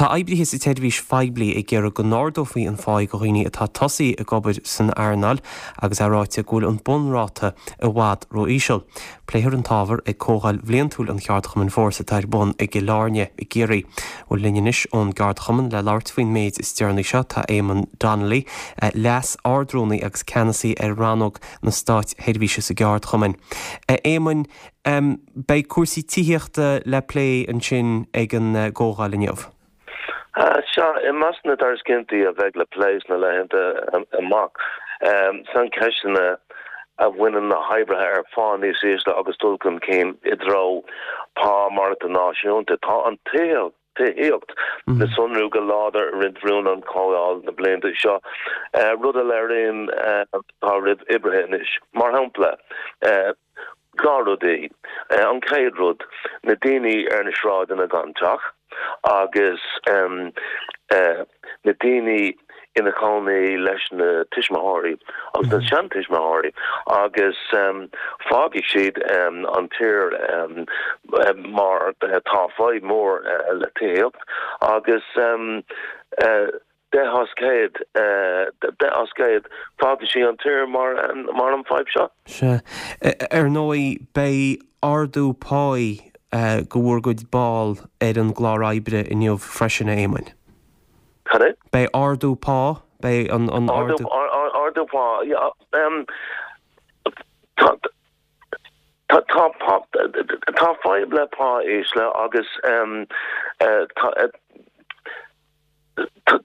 Tá oibrithe sa tseirbhís phoiblí ag iarraidh go n-ardófaí an pháí do dhaoine atá tosaithe ag obair san earnáil agus é ráite go bhfuil an bunráta i bhfad ró-íseal. Pléifear an t-ábhar ag comhdháil bhliantúil an cheardchumainn Fórsa atá ar bun i gCill Airne i gCiarraí. Bhuel linn anois ón gceardchumann le labhairt faoin méid is deireanaí seo tá Éamonn Donnelly, Leas-Ardrúnaí agus Ceannasaí ar Rannóg na Státseirbhíse sa gceardchumann. A Éamoinn, beidh cúrsaí tithíochta le plé ansin ag an gcomhdháil inniu. Sea, i measc na dtairiscintí a bheidh le plé sna laethanta amach, saincheisteanna a bhaineann le hoibrithe ar phá níos ísle agus dul chun cinn i dtreo pá maireachtála náisiúnta. Tá an tithíocht le sonrú go láidir i roinnt rún ón chomhdháil na blianta seo, rud a léiríonn atá roimh oibrithe anois. Mar shampla, 2 rudaí. An chéad rud, na daoine ar na sráideanna gan teach agus na daoine ina chónaí leis na tuismitheoirí agus na seantuismitheoirí agus fágfaidh siad an tír mar tá fadhb mór le tithíocht agus 10 as 100, 10 as 100, fágfaidh siad an tír mar mar an fadhb seo. Sea. Ar ndóigh, beidh ardú páí do bhur gcuid ball ar an gclár oibre inniu freisin, a Éamoinn. Cad é? Beidh ardú pá, beidh an an ardú. Ardú pá, yeah. Tá tá tá tá fadhb le pá ísle agus tá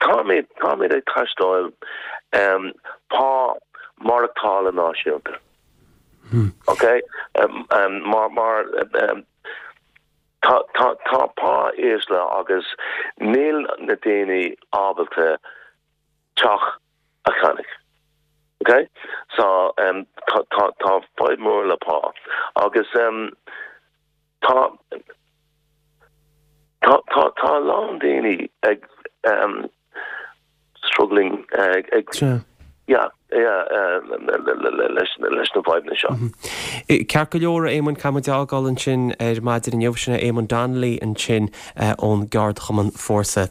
Táimid, táimid ag taisteáil pá maireachtála náisiúnta. Ok? Mar, mar, tá, tá, tá pá ísle agus níl na daoine ábalta teach a cheannach. Ok? So, tá, tá, tá fadhb mór le pá agus tá, tá, tá, tá a lán daoine ag struggling ag, ag, yeah, yeah, leis, leis na fadhbanna seo. Ceart go leor, a Éamoinn, caithfidh muid a fhágáil ansin ar maidin inniu. Sin é Éamonn Donnelly ansin ón gceardchumann Fórsa.